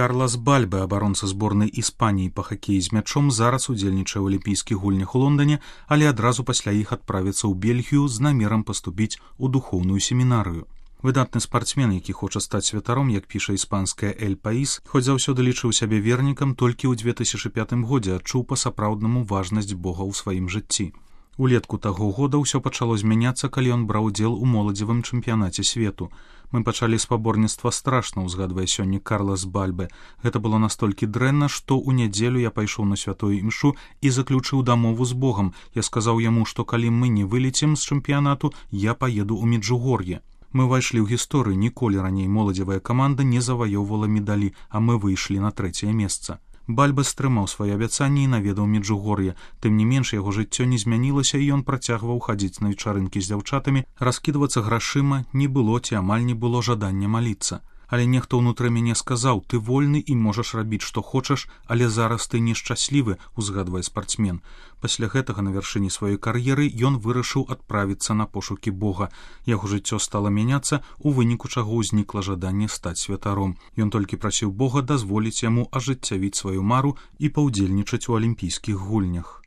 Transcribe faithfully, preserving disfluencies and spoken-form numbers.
Карлас Бальбе, абаронца зборнай Іспаніі па хакеі з мячом, зараз удзельнічае ў алімпійскіх гульнях у Лондоне, але адразу пасля іх адправіцца ў Бельгію з намерам паступіць у духоўную семінарыю. Выдатны спартсмен, які хоча стаць святаром, як піша іспанская «Эль Паís», хоць заўсёды лічыў сябе вернікам, толькі ў две тысячы пятым годзе адчуў па-сапраўднаму важнасць Бога ў сваім жыцці. Улетку таго года ўсё пачало змяняцца, калі ён браў удзел у моладзевым чэмпіянаце свету. Мы пачалі спаборніцтва страшна, узгадвае сёння Карлас Бальбе. Гэта было настолькі дрэнна, што ў нядзелю я пайшоў на святую імшу і заключыў дамову з Богам. Я сказаў яму, што калі мы не вылецім з чэмпіянату, я паеду ў Меджугор'е. Мы ўвайшлі ў гісторыю, ніколі раней моладзевая каманда не заваёўвала медалі, а мы выйшлі на трэцяе месца. Бальбе стрымаў свае абяцанні і наведаў Меджугор'е. Тым не менш, яго жыццё не змянілася, і ён працягваў хадзіць на вечарынкі з дзяўчатамі, раскідвацца грашыма, не было ці амаль не было жадання маліцца. Але нехта ўнутры мяне сказаў: ты вольны і можаш рабіць, што хочаш, але зараз ты нешчаслівы, узгадвае спартсмен. Пасля гэтага на вяршыні сваёй кар'еры ён вырашыў адправіцца на пошукі Бога. Яго жыццё стала мяняцца, у выніку чаго ўзнікла жаданне стаць святаром. Ён толькі прасіў Бога дазволіць яму ажыццявіць сваю мару і паўдзельнічаць у алімпійскіх гульнях.